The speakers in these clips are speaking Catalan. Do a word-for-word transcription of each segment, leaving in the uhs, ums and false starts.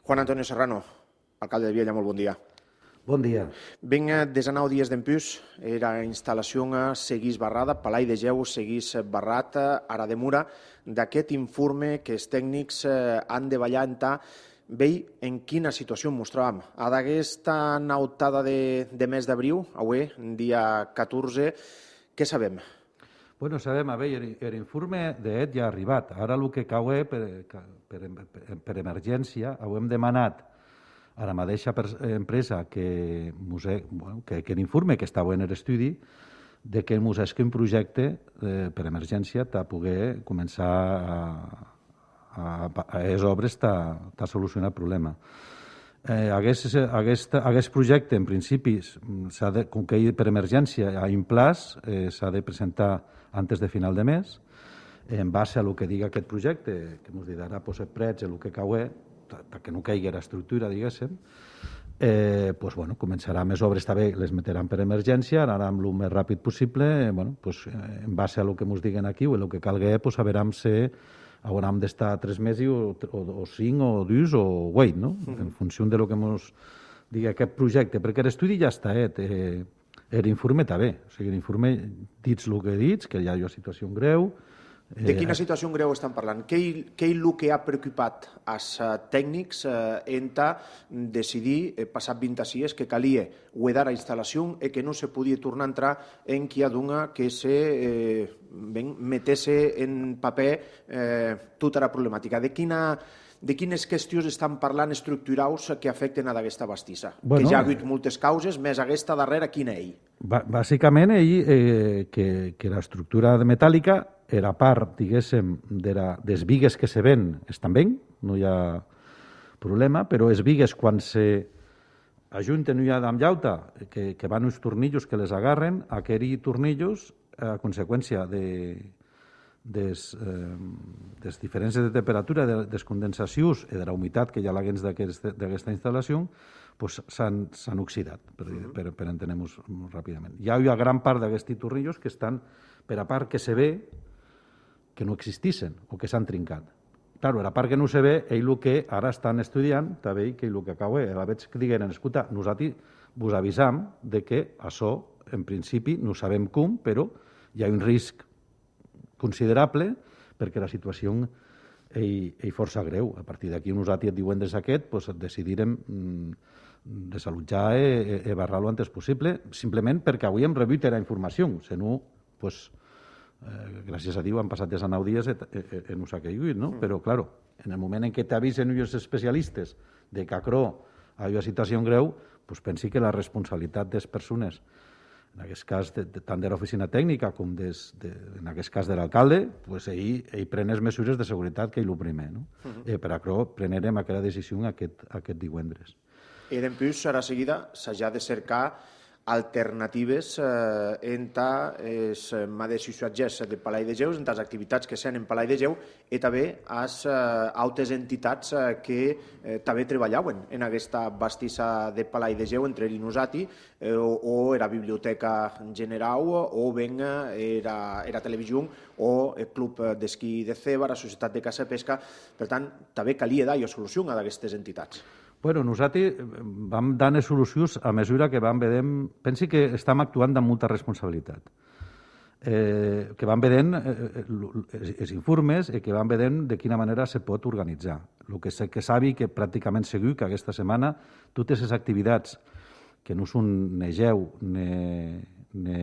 Juan Antonio Serrano, alcalde de Viella, molt bon dia. Bon dia. Ben des anau dies dempús, era instal·lació seguís barrada, Palai de Geu seguís barrat, ara demura, d'aquest informe que els tècnics han de ballar en ta, vei en quina situació mostràvem. A d'aquesta nautada de, de mes d'abril, avui, dia catorze, què sabem? Bueno, sabem, a veure, l'informe d'E D ja ha arribat. Ara el que cau per, per, per emergència, ho hem demanat a la mateixa empresa que, bueno, que, que l'informe que estava en l'estudi de que ens esqui un projecte eh, per emergència per poder començar a, a, a les obres a solucionar el problema. Eh, aquest, aquest, aquest projecte, en principi, de, com que per emergència hi ha un plaç, eh, s'ha de presentar antes de final de mes, en base a lo que diga aquest projecte, que ens dirà posar prets el que caué, perquè no caigui l'estructura, diguéssim, eh, pues, bueno, començarà més obres, també les metteran per emergència, anaran el més ràpid possible, bueno, pues, en base a lo que ens diguen aquí o el que calgui, pues, saberem si haurem d'estar tres mesos o, o, o cinc o dos o vuit, no? Uh -huh. En funció de lo que ens digui aquest projecte, perquè l'estudi ja està, eh? eh l'informe està bé, o sigui, l'informe dits el que dits, que hi ha una situació greu. De quina situació greu estan parlant? Què és el que ha preocupat als tècnics en decidir, passat vint dies, que calia guardar la instal·lació i que no se podia tornar a entrar en qui ha donat que se metesse en paper tota la problemàtica? De quina De quines qüestions estan parlant estructurals que afecten a aquesta bastissa? Bueno, que ja ha hagut moltes causes, més aquesta darrera, quina ell? Bàsicament, ell, eh, que, que l'estructura metàl·lica era part, diguéssim, de la, des vigues que se ven, estan ben, no hi ha problema, però les vigues, quan se ajunten i amb llauta, que, que van uns tornillos que les agarren, aquells tornillos, a conseqüència de... des, eh, des diferències de temperatura, de, des condensacions i de la humitat que hi ha a l'aguens d'aquesta instal·lació, pues, s'han oxidat, per, uh -huh. per, per entendre-nos ràpidament. Hi ha una gran part d'aquests tornillos que estan, per a part que se ve, que no existissin o que s'han trincat. Claro, la part que no se ve, ell el que ara estan estudiant, també que el que acaba, la veig que digueren, escolta, nosaltres vos avisam de que això, en principi, no sabem com, però hi ha un risc considerable perquè la situació és força greu. A partir d'aquí, nosaltres et diuen des d'aquest, pues, decidirem mm, desallotjar i, i barrar-lo antes possible, simplement perquè avui hem rebut la informació. Si no, pues, eh, gràcies a Déu, han passat des de nou dies i, i, i no s'ha caigut, no? Mm. Però, clar, en el moment en què t'avisen els especialistes de que acrò hi ha una situació greu, pues, pensi que la responsabilitat de les persones, en aquest cas, de, de, tant de l'oficina tècnica com des, de, en aquest cas de l'alcalde, pues, ell, ell pren les mesures de seguretat que és el primer. No? Uh -huh. eh, per això prenem aquella decisió aquest, aquest divendres. I després, ara seguida, s'ha de cercar alternatives eh, entre els mateixos subjectes de Palai de Geu, entre les activitats que s'han en Palai de Geu i també les eh, altres entitats eh, que eh, també treballaven en aquesta bastissa de Palai de Geu, entre l'Inusati eh, o, o era Biblioteca General o ben era, era Televisió o el Club d'Esquí de Ceba, la Societat de Caça i Pesca. Per tant, també calia dar solució a aquestes entitats. Bueno, nosaltres vam dar solucions a mesura que vam vedent... Pensi que estem actuant amb molta responsabilitat. Eh, que vam vedent eh, els informes i que vam vedent de quina manera se pot organitzar. El que sé que sabi que pràcticament segur que aquesta setmana totes les activitats que no són ni geu ni, ni,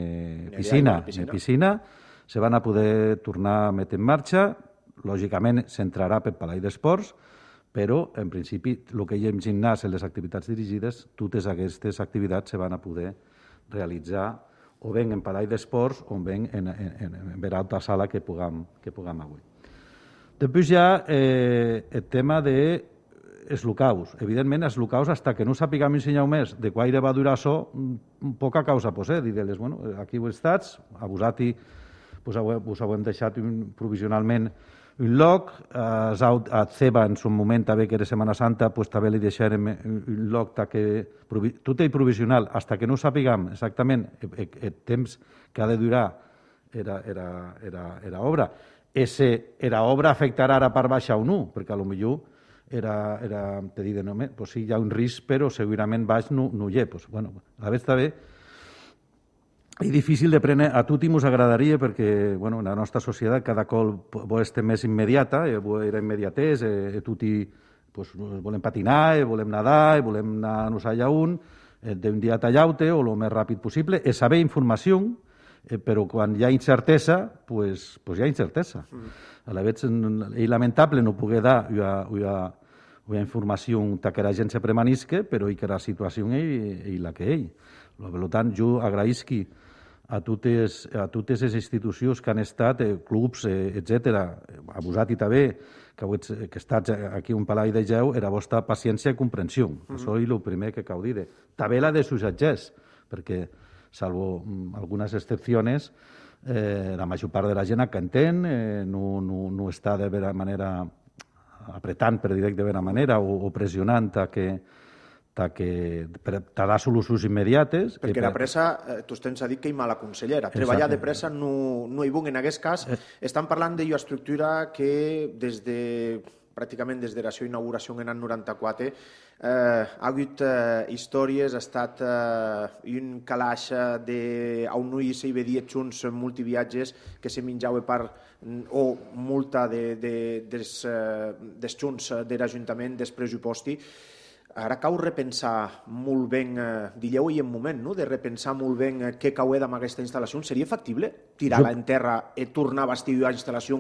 piscina, ni piscina se van a poder tornar a metre en marxa. Lògicament s'entrarà per Palai d'Esports, però, en principi, el que hi ha en gimnàs en les activitats dirigides, totes aquestes activitats se van a poder realitzar o bé en Palai d'Esports o bé en, en, en, en en altra sala que puguem, que puguem avui. Després hi ha eh, el tema de els locals. Evidentment, els locals, fins que no sapiguem ensenyar més de quaire va durar això, poca causa posar. Dir-les, bueno, aquí ho estats, a vosaltres pues, us ho hem deixat provisionalment un lloc, a Ceba en un moment també que era Setmana Santa pues, també li deixarem un lloc que, tot és provisional, fins que no sapiguem exactament el, el temps que ha de durar era, era, era, era obra. Ese, era obra afectarà ara per baixa o no, perquè potser era, era te dir, no, pues sí, hi ha un risc, però segurament baix no, no hi ha. Pues, bueno, a la vegada està bé. És difícil de prendre, a tutti mos agradaria perquè, bueno, la nostra societat cada cop vol estar més immediata, eh, vol era immediatès, eh, tutti pues, volem patinar, eh, volem nedar, eh, volem anar-nos allà un, eh, d'un dia a l'altre o el més ràpid possible, és saber informació, eh, però quan hi ha incertesa, pues, pues hi ha incertesa. Mm. A la vegada és lamentable no poder dar una, una, una informació que la gent se premanisque, però i que la situació és la que és. Per tant, jo agraïsqui a totes, a totes les institucions que han estat, eh, clubs, eh, etcètera, a vosaltres també, que, que estats aquí un Palau de Geu, era vostra paciència i comprensió. Mm-hmm. Això és el primer que cal dir. També la de sussatgers, perquè, salvo algunes excepcions, eh, la major part de la gent que entén eh, no, no, no està de vera manera apretant, per dir de vera manera, o, o pressionant a que que t'ha de solucions immediates. Perquè la pressa, eh, tu tens a dir que hi mala consellera. Treballar de pressa no, no hi bon en aquest cas. Eh. Estan parlant d'una estructura que des de, pràcticament des de la seva inauguració en l'any noranta-quatre eh, ha hagut eh, històries, ha estat eh, un calaix de on no hi s'hi veia junts multiviatges que se menjava per o multa de, de, des, eh, des junts de l'Ajuntament, des pressuposti. Ara cau repensar molt bé, eh, dilleu i en moment, no? De repensar molt bé eh, què cau amb aquesta instal·lació. Seria factible tirar-la en terra i tornar a bastir la instal·lació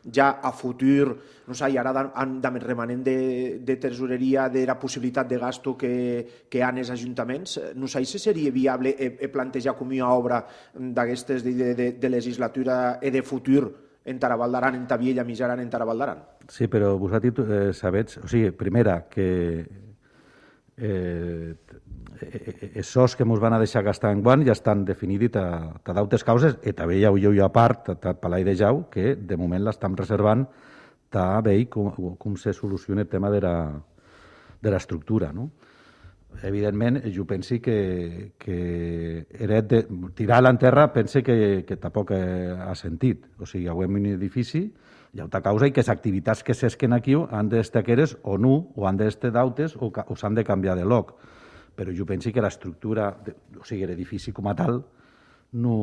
ja a futur? No sé, i ara han de remanent de, de tesoreria, de la possibilitat de gasto que, que han els ajuntaments. No sé si seria viable eh, plantejar com una obra d'aquestes de, de, de legislatura i de futur en Tarabaldaran, en Tabiella, Mijaran, en Tarabaldaran. Sí, però vosaltres eh, sabets, o sigui, primera, que Eh, els sos que ens van a deixar gastar en guant ja estan definits a, a d'altres causes i també hi ha una part a Palau de Jau que de moment l'estem reservant a veure com, com se soluciona el tema de la, de l'estructura, no? Evidentment, jo penso que, que de, tirar-la en terra pense que, que tampoc ha sentit. O sigui, hi ha un edifici, hi ha altra causa i que les activitats que s'esquen aquí han d'estar queres o no, o han d'estar d'autes o, o s'han de canviar de lloc. Però jo penso que l'estructura, o sigui, l'edifici com a tal, no,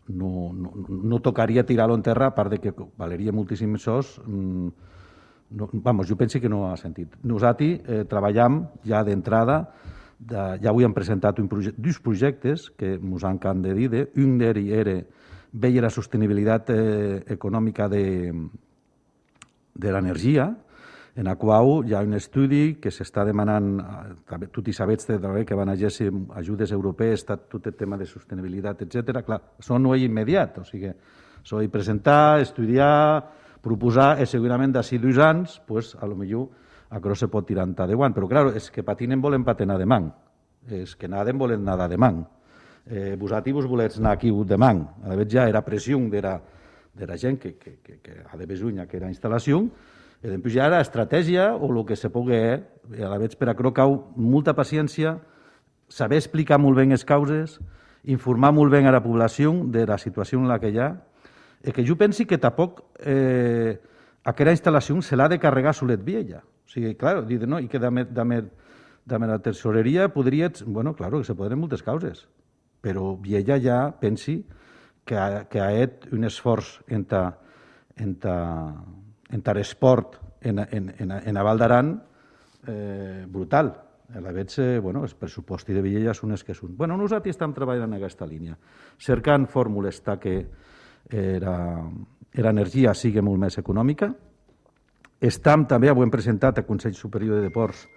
no, no, no tocaria tirar-lo en terra, a part de que valeria moltíssims sos. No, vamos, jo penso que no ha sentit. Nosaltres eh, treballem ja d'entrada, de, ja avui hem presentat un projecte, dos projectes que ens han de dir, un d'ells era veia la sostenibilitat eh, econòmica de, de l'energia, en la qual hi ha un estudi que s'està demanant, tu hi sabets també que van haver ajudes europees, tot el tema de sostenibilitat, etcètera. Clar, això no és immediat, o sigui, això és presentar, estudiar, proposar, i segurament d'ací dos anys, pues, a lo millor això se pot tirar de guant. Però, clar, és que patinen volen patinar de man, és que naden volen nadar de man. Eh, vosaltres vos volets anar aquí demà. A la vegada ja era pressió de la, de la gent que, que, que, que ha de besunya que era instal·lació, i després ja era estratègia o el que se pugui, eh? A la vegada per a això cau molta paciència, saber explicar molt bé les causes, informar molt bé a la població de la situació en la que hi ha, i que jo pensi que tampoc eh, aquella instal·lació se l'ha de carregar solet vella. O sigui, clar, dir, no, i que de, de, de la tesoreria podria... Bueno, clar, que se poden moltes causes, però Viella ja pensi que ha, que ha fet un esforç en l'esport en, en, en, en a Val d'Aran eh, brutal. A la vegada, bueno, els pressupostos de Viella són els que són. Bueno, nosaltres estem treballant en aquesta línia, cercant fórmules que l'energia sigui molt més econòmica. Estem també, ho hem presentat al Consell Superior de Deports,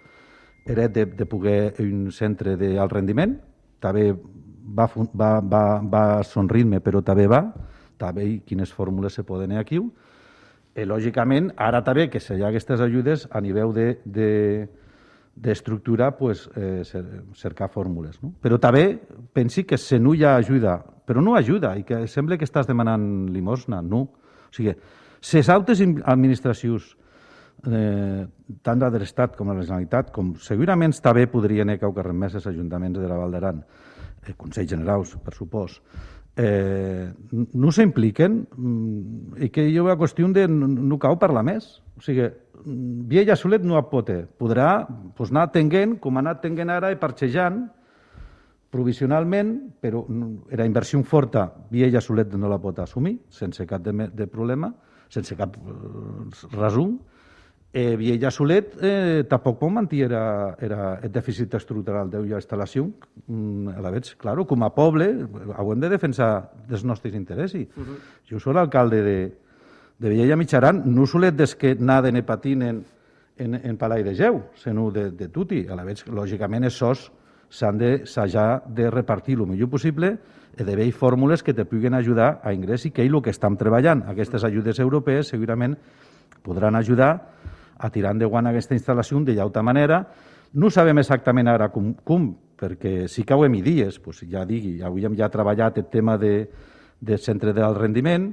era de, de poder un centre d'alt rendiment, també va, va, va, va sonrir-me, però també va, també quines fórmules se poden aquí. I, lògicament, ara també que hi ha aquestes ajudes a nivell de, de, d'estructura, pues, eh, cercar fórmules. No? Però també pensi que si no hi ha ajuda, però no ajuda, i que sembla que estàs demanant limosna, no. O sigui, les altres administracions, eh, tant de l'Estat com de la Generalitat, com segurament també podrien haver caucarremès els ajuntaments de la Val d'Aran, eh, Consells Generals, per supòs, eh, no s'impliquen i que hi ha una qüestió de no cau parlar més. O sigui, Viella solet no pot. Podrà pues, anar tenint, com ha anat tenint ara, i parxejant provisionalment, però la inversió forta Viella solet no la pot assumir sense cap de, de problema, sense cap resum. Eh, Viella solet eh, tampoc pot mantenir era, era el dèficit estructural d'ella instal·lació. Mm, a la vegada, claro, com a poble, hem de defensar els nostres interessos. Uh -huh. Jo soc l'alcalde de, de Viella Mitjaran, no solet des que naden i patinen en, en Palai de Geu, sinó de, de tutti. A la vegada, lògicament, els sos s'han de, s'ha de repartir el millor possible i d'haver fórmules que te puguin ajudar a ingrés i que és el que estem treballant. Aquestes ajudes europees segurament podran ajudar a tirar endavant aquesta instal·lació de llauta manera. No sabem exactament ara com, com perquè sí que ho hem dies, doncs ja digui, avui hem ja treballat el tema de, del centre d'alt rendiment,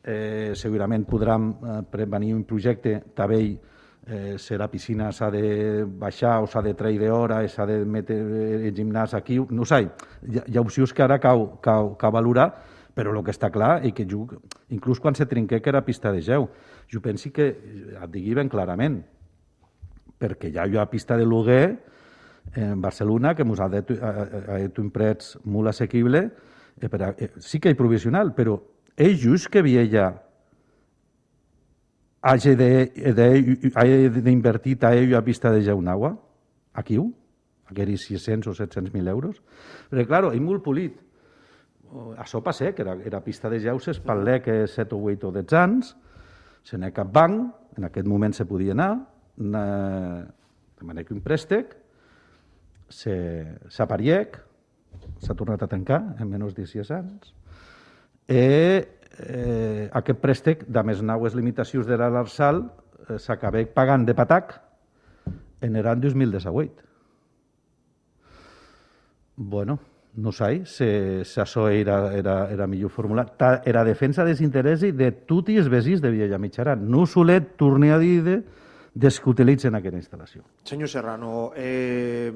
eh, segurament podrem eh, prevenir un projecte també eh, si la piscina s'ha de baixar o s'ha de treure d'hora, s'ha de metre el gimnàs aquí, no sé, hi ha, hi ha opcions que ara cau, cau, cau valorar, però el que està clar és que jo, inclús quan se trinqué que era pista de geu, jo penso que, et digui ben clarament, perquè ja hi ha pista de lloguer en Barcelona que ens ha dit un preu molt assequible, eh, per a, eh, sí que és provisional, però és just que Viella hagi d'invertir a ell a pista de geu nagua, aquí, aquells sis-cents o set-cents mil euros, perquè, clar, és molt polit. Això passa, que era, era pista de geu, s'espatllà que set o vuit o deu anys, se n'ha cap banc, en aquest moment se podia anar, de manera que un préstec, s'apariec, s'ha tornat a tancar en menys de sis anys, i eh, aquest préstec, de més naues limitacions de l'Arsal, eh, s'acaba pagant de patac en l'any dos mil disset. Bueno, no sé si, si això era, era, era millor formular. Era defensa dels interessos de tots els veïns de Viella Mitjaran. No solet tornar a dir de, des que utilitzen aquesta instal·lació. Senyor Serrano, eh,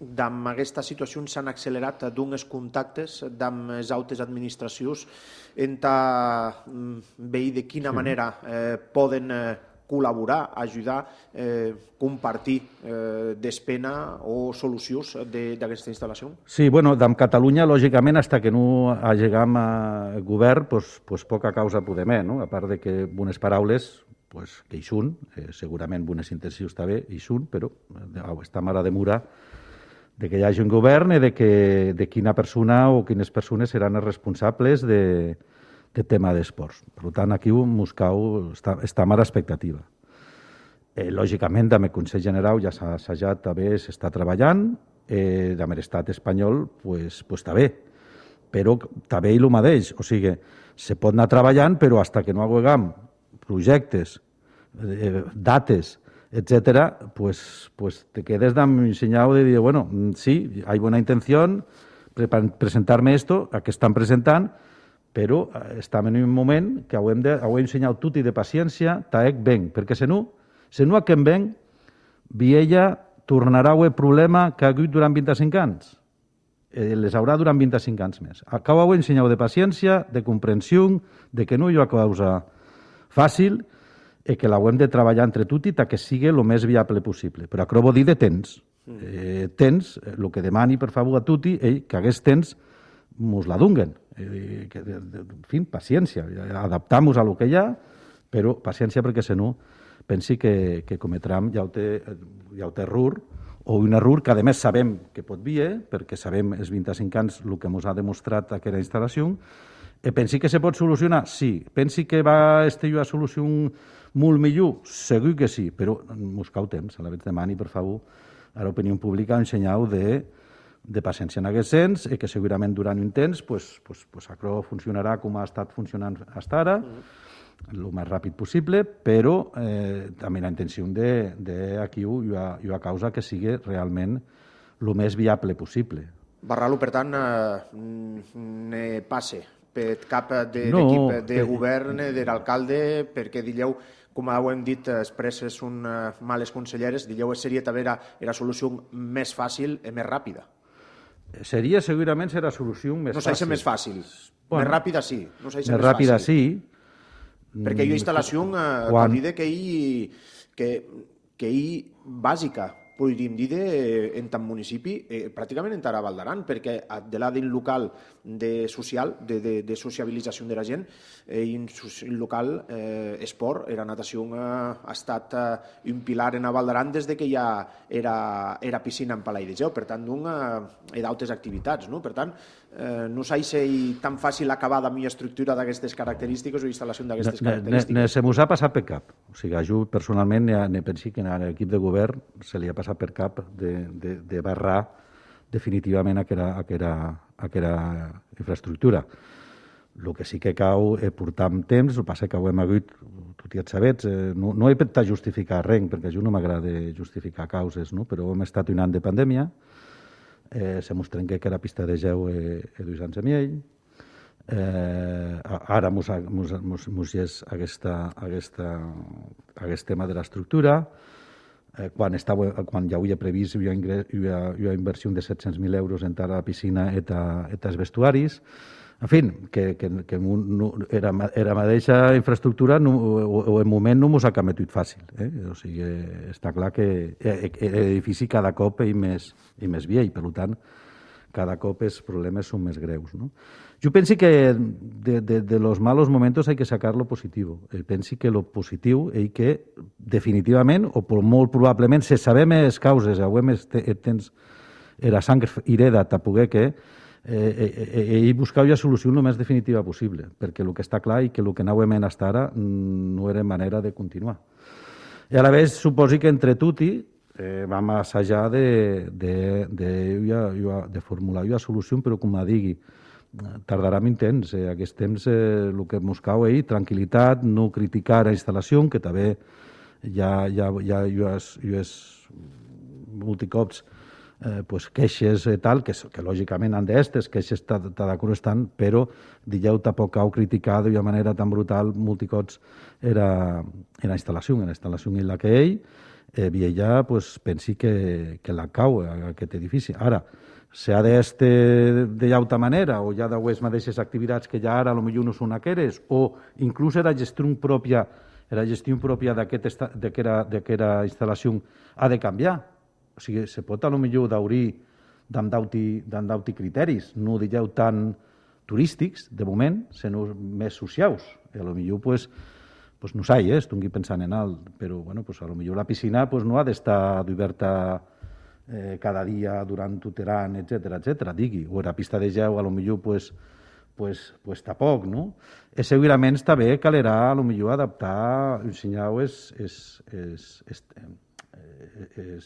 amb aquesta situació s'han accelerat d'uns contactes amb les altres administracions en veure de quina sí. manera eh, poden eh, col·laborar, ajudar, eh, compartir eh, despena o solucions d'aquesta instal·lació? Sí, bueno, amb Catalunya, lògicament, fins que no llegam al govern, pues, pues poca causa podem, no? A part de que bones paraules, pues, que hi són, eh, segurament bones intencions també hi són, però eh, està mare de mura de que hi hagi un govern i de, que, de quina persona o quines persones seran els responsables de, de tema d'esports. Per tant, aquí Moscou està, està a l'expectativa. Eh, lògicament, amb el Consell General ja s'ha assajat, també s'està treballant, eh, amb l'estat espanyol pues, pues, també, però també el mateix, o sigui, se pot anar treballant, però fins que no haguem projectes, eh, dates, etcétera, pues, pues te quedes amb un senyal de dir, bueno, sí, hay buena intención, pre presentar-me esto, a què estan presentant, però estem en un moment que hem de, hem ensenyat tot i de paciència, taec ben, perquè si no, si no aquest ben, Viella tornarà a el problema que ha hagut durant vint-i-cinc anys. Eh, les haurà durant vint-i-cinc anys més. Acabo ho ensenyat de paciència, de comprensió, de que no hi ha causa fàcil, i que l'hem de treballar entre tot i que sigui el més viable possible. Però això vol dir de temps. Eh, temps, el que demani, per favor, a tutti, eh, que aquest temps mos la dunguen. Eh, que, de, de, en fi, paciència. Adaptar-nos a lo que hi ha, però paciència perquè, si no, pensi que, que cometram ja ho té, ja ho té error, o un error que, a més, sabem que pot vir, perquè sabem els vint-i-cinc anys el que ens ha demostrat aquesta instal·lació. Eh, pensi que se pot solucionar? Sí. Pensi que va estar a solució molt millor? Segur que sí, però mos cau temps. A la vegada demani, per favor, a l'opinió pública un senyal de, de paciència en aquest sens, i que segurament durant un temps pues, pues, pues, això funcionarà com ha estat funcionant fins ara, el mm. més ràpid possible, però eh, també la intenció de, de aquí hi ha, hi ha causa que sigui realment el més viable possible. Barralo, per tant, eh, ne passe per cap de no, l'equip de que... govern, de l'alcalde, perquè dilleu, com ho hem dit, expresses són males conselleres, dilleu seria també la, la solució més fàcil i més ràpida. Seria, segurament, serà la solució més no fàcil. No s'ha més fàcil. Bueno, més ràpida, sí. No més, més ràpida, fàcil. sí. Perquè hi ha instal·lació eh, quan... dir que hi, que, que hi bàsica, podríem dir, de, en tant municipi, eh, pràcticament en Tara Val d'Aran, perquè de l'adin local de social, de, de, de sociabilització de la gent, eh, en local eh, esport, era natació, eh, ha estat eh, un pilar en a Val d'Aran des de que ja era, era piscina en Palai de Geu, per tant, d'un, eh, hi ha d'altres activitats, no? Per tant, eh, no s'ha de tan fàcil acabar de mi estructura d'aquestes característiques o instal·lació d'aquestes característiques. Ne, ne, se m'ho ha passat per cap. O sigui, jo personalment ne, ne pensi que a l'equip de govern se li ha passat per cap de, de, de barrar definitivament aquella, aquella, aquella infraestructura. El que sí que cau eh, portar amb temps, el passa que ho hem hagut, tot i et sabets, eh, no, no he pentat justificar res, perquè a jo no m'agrada justificar causes, no? Però hem estat un any de pandèmia, eh, se mos trenqué que la pista de geu eh, eh, dos anys a miell, eh, ara mos, mos, mos, mos és aquesta, aquesta, aquest tema de l'estructura, eh, quan, estava, quan ja ho havia previst, hi havia, hi havia, hi havia inversió de set-cents mil euros en la piscina i els vestuaris. En fi, que, que, que no, era, era mateixa infraestructura no, o, o en moment no mos ha cametut fàcil. Eh? O sigui, està clar que l'edifici cada cop és més, és més vell, per tant, cada cop els problemes són més greus. No? Jo penso que de, de, de los malos momentos hay que sacar lo positivo. Eh, penso que lo positiu és que definitivament, o molt probablement, se sabem les causes, avui tens la sang hereda a poder que Eh, eh, eh, buscar la solució el més definitiva possible, perquè el que està clar i que el que anàvem fins ara no era manera de continuar. I a la vegada suposi que entre tutti eh, vam assajar de, de, de, de, de formular una solució, però com a digui, tardarà un temps. Eh, aquest temps eh, el que ens cau és tranquil·litat, no criticar la instal·lació, que també ja, ja, ja, ja, ja és multicops Eh, pues, queixes i tal, que, que lògicament han d'estes, queixes està d'acord estan, però dijeu tampoc heu criticat d'una manera tan brutal multicots era en la instal·lació, en la instal·lació en la que ell, eh, Viella, pues, pensi que, que la cau aquest edifici. Ara, si ha d'este d'altra manera, o ja d'aues mateixes activitats que ja ara potser no són aqueres, o inclús era gestió pròpia, era gestió pròpia d'aquesta instal·lació ha de canviar. O sigui, se pot a lo millor d'obrir d'en d'auti criteris, no digueu tan turístics, de moment, sinó més socials. I a lo millor, pues, pues no sé, eh, estic pensant en alt, però bueno, pues, a lo millor la piscina pues, no ha d'estar oberta eh, cada dia durant tot l'any, etcètera, etcètera, digui. O la pista de geu, a lo millor, pues, pues, pues tampoc, no? I segurament també calerà, a lo millor, adaptar, ensenyar és, és, és, és, és,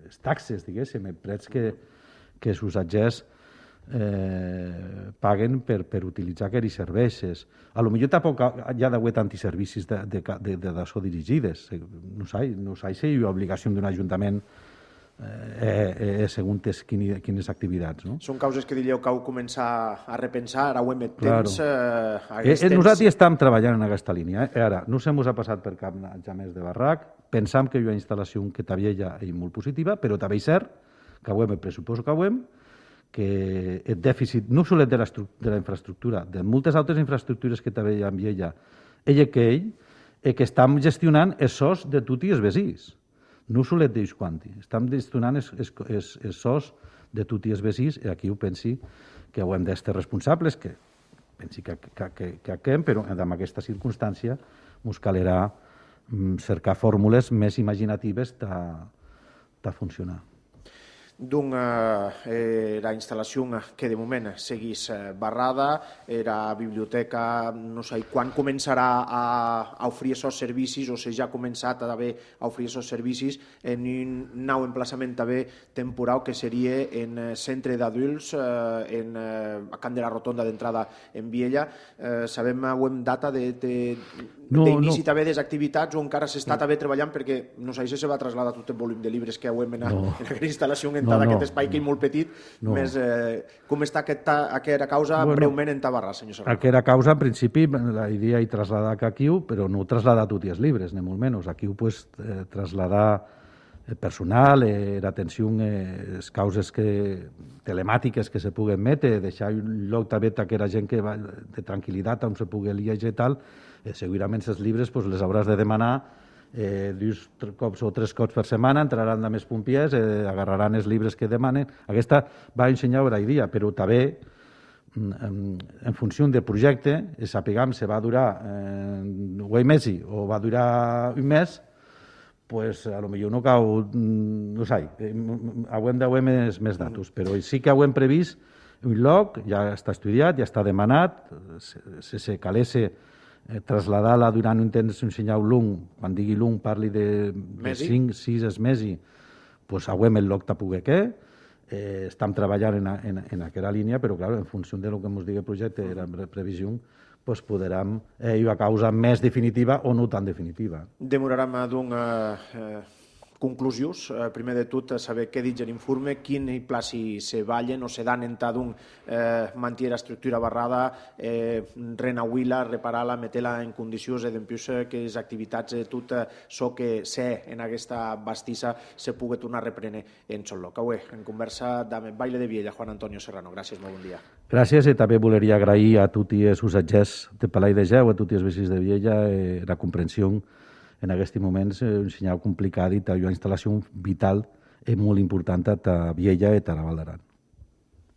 és taxes, diguéssim, prets que, que els usatgers eh, paguen per, per utilitzar aquests serveis. A lo millor tampoc hi ha d'haver tantis servicis de, de, de, de d'això dirigides. No sé, no sé si hi ha obligació d'un ajuntament eh, eh, segons quines, quines activitats. No? Són causes que diríeu que heu començat a repensar, ara ho hem temps. Claro. Eh, eh, nosaltres estem treballant en aquesta línia. Eh? Ara, no se mos ha passat per cap ja més de barrac. Pensam que hi ha una instal·lació que també ja és molt positiva, però també és cert que avui el pressupost que avui que el dèficit no solet de la, de la infraestructura, de moltes altres infraestructures que també hi ha amb ella, ella que ell, eh, que estem gestionant els sòs de tots els veïns. No solet d'ells quanti. Estem gestionant els, els, els, els sòs de tots els veïns i aquí ho pensi que ho hem d'estar responsables, que pensi que, que, que, que aquem, però en aquesta circumstància ens calerà cercar fórmules més imaginatives de funcionar. Doncs eh, la instal·lació que de moment seguís barrada, era biblioteca, no sé quan començarà a, a oferir aquests servicis o si ja ha començat a haver a oferir aquests servicis en un nou emplaçament també temporal que seria en centre d'adults eh, en, eh, a Can de la Rotonda d'entrada en Viella. Eh, sabem ho hem data de, de No, d'inici no. també des activitats o encara s'està també treballant perquè no sé si se va traslladar tot el volum de llibres que heu en, no. en aquesta instal·lació en no, aquest no. espai que és molt petit. No. Més, eh, com està aquesta, aquesta causa bueno, breument en Tabarrà, senyor Serrano? Aquesta causa, en principi, la idea és traslladar aquí, però no traslladar tots els llibres, ni molt menys. Aquí ho pues, eh, traslladar personal, eh, l'atenció, eh, les causes que, telemàtiques que se puguen metre, deixar un lloc també que era gent que va de tranquil·litat on se pugui llegir i tal, eh, segurament els llibres pues, les hauràs de demanar eh, dos cops o tres cops per setmana, entraran de més pompiers, eh, agarraran els llibres que demanen. Aquesta va ensenyar hora i dia, però també en, en funció del projecte, sapiguem si va durar eh, un mes o va durar un mes, pues a lo millor no cau, no sé, hauem de veure més, més datos, però sí que hauem previst un lloc, ja està estudiat, ja està demanat, si se calesse eh, traslladar-la durant un temps un senyal lung, quan digui lung parli de, de cinc, sis mesos, pues hauem el lloc de poder què, eh, estem treballant en, en, en aquella línia, però clar, en funció de lo que ens digui el projecte, era previsió, pues podrem eh, a causa més definitiva o no tan definitiva. Demorarem d'un eh, conclusius. Eh, primer de tot, saber què dic l'informe, quin pla si se ballen o se dan en d'un eh, mantenir la estructura barrada, eh, renauir-la, reparar-la, meter-la en condicions i dempius que les activitats de tot això que sé en aquesta bastissa se pugui tornar a reprendre en sol lloc. Avui, en conversa amb Baile de Viella, Juan Antonio Serrano. Gràcies, molt bon dia. Gràcies, i també voleria agrair a tots els usatgers de Palai de Geu, a tots els veïns de Viella, eh, la comprensió en aquests moments, eh, un senyal complicat i una instal·lació vital i molt important a Viella i a la Val d'Aran.